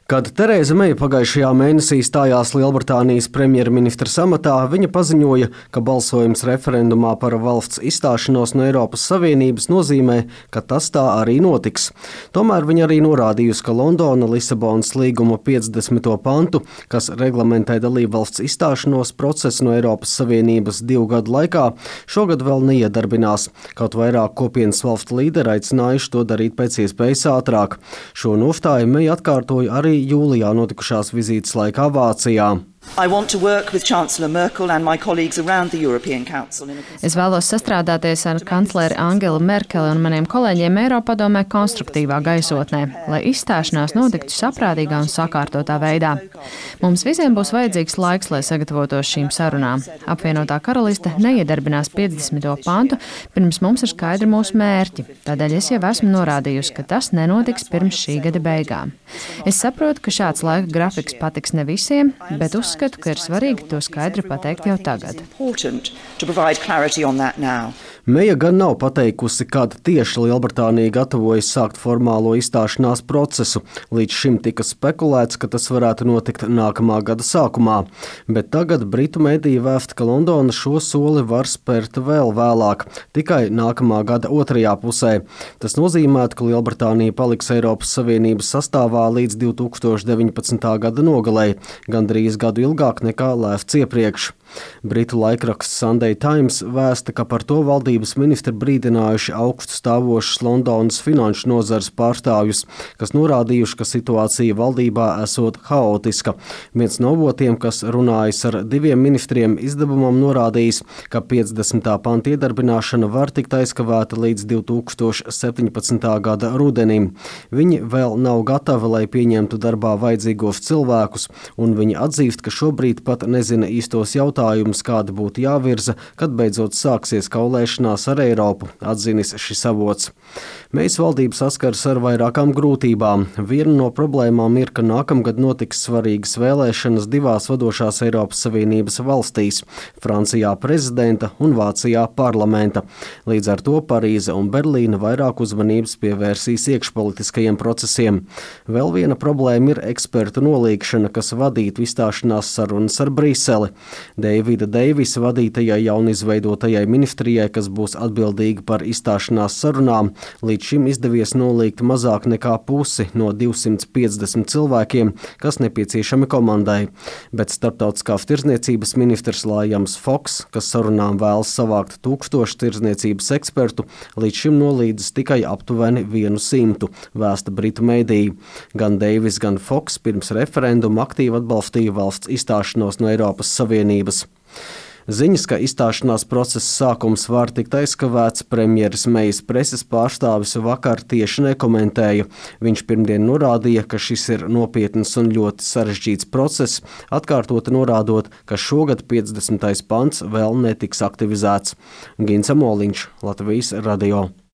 Kad Terēza Meija pagājušajā mēnesī stājās Lielbritānijas premjerministra amatā, viņa paziņoja, ka balsojums referendumā par valsts izstāšanos no Eiropas Savienības nozīmē, ka tas tā arī notiks. Tomēr viņa arī norādījusi, ka Londona Lisabonas līguma 50. pantu, kas reglamentē dalībvalsts izstāšanos procesu no Eiropas Savienības 2 gadu laikā, šogad vēl neiedarbinās. Kaut vairāk kopienas valstu līderi aicinājuši to darīt pēc iespējas ātrāk. Šo nostāju Meija atkārtoja arī jūlijā notikušās vizītes laikā Vācijā. Es vēlos sastrādāties ar kancleri Angelu Merkeli un maniem kolēģiem Eiropadomē konstruktīvā gaisotnē, lai izstāšanās notiktu saprātīgā un sakārtotā veidā. Mums visiem būs vajadzīgs laiks, lai sagatavotos šīm sarunām. Apvienotā karaliste neiedarbinās 50. pantu, pirms mums ir skaidri mūsu mērķi. Tādēļ es jau esmu norādījusi, ka tas nenotiks pirms šī gada beigām. Es saprotu, ka šāds laika grafiks patiks ne visiem, bet uzskatu, ka ir svarīgi to skaidri pateikt jau tagad. Meija gan nav pateikusi, kad tieši Lielbritānija gatavojas sākt formālo izstāšanās procesu. Līdz šim tika spekulēts, ka tas varētu notikt nākamā gada sākumā. Bet tagad Britu mediji vēsta, ka Londona šo soli var spērt vēl vēlāk, tikai nākamā gada otrajā pusē. Tas nozīmētu, ka Lielbritānija paliks Eiropas Savienības sastāvā līdz 2019. gada nogalei, gandrīz gadu ilgāk nekā lēsts iepriekš. Britu laikraksts Sunday Times vēsta, ka par to valdības ministri brīdinājuši augstu stāvošus Londonas finanšu nozares pārstāvjus, kas norādījuši, ka situācija valdībā esot haotiska. Viens no avotiem, kas runājis ar 2 ministriem izdevumam, norādījis, ka 50. panta iedarbināšana var tikt aizkavēta līdz 2017. gada rudenim. Viņi vēl nav gatavi, lai pieņemtu darbā vajadzīgos cilvēkus, un viņi atzīst, ka šobrīd pat nezina īstos jautājumus, kāda būtu jāvirza, kad beidzot sāksies kaulēšanās ar Eiropu, atzinis šis avots. Meijas valdība saskars ar vairākām grūtībām. Viena no problēmām ir, ka nākamgad notiks svarīgas vēlēšanas 2 vadošās Eiropas Savienības valstīs – Francijā prezidenta un Vācijā parlamenta. Līdz ar to Parīze un Berlīna vairāk uzmanības pievērsīs iekšpolitiskajiem procesiem. Vēl viena problēma ir ekspertu nolīgšana, kas vadītu izstāšanās sarunas ar Briseli. Deivida Deivisa vadītajai jaunizveidotajai ministrijai, kas būs atbildīga par izstāšanās sarunām, līdz šim izdevies nolīgt mazāk nekā pusi no 250 cilvēkiem, kas nepieciešami komandai. Bet starptautiskās tirdzniecības ministrs Liams Foks, kas sarunām vēlas savākt 1000 tirdzniecības ekspertu, līdz šim nolīdzis tikai aptuveni 100, vēsta Britu mediji. Gan Deivis, gan Foks pirms referenduma aktīvi atbalstīja valsts izstāšanos no Eiropas Savienības. Ziņas, ka izstāšanās procesa sākums var tikt aizkavēts, premjeras Meijas preses pārstāvis vakar tieši nekomentēja. Viņš pirmdien norādīja, ka šis ir nopietns un ļoti sarežģīts process, atkārtoti norādot, ka šogad 50. pants vēl netiks aktivizēts. Gins Amoliņš, Latvijas radio.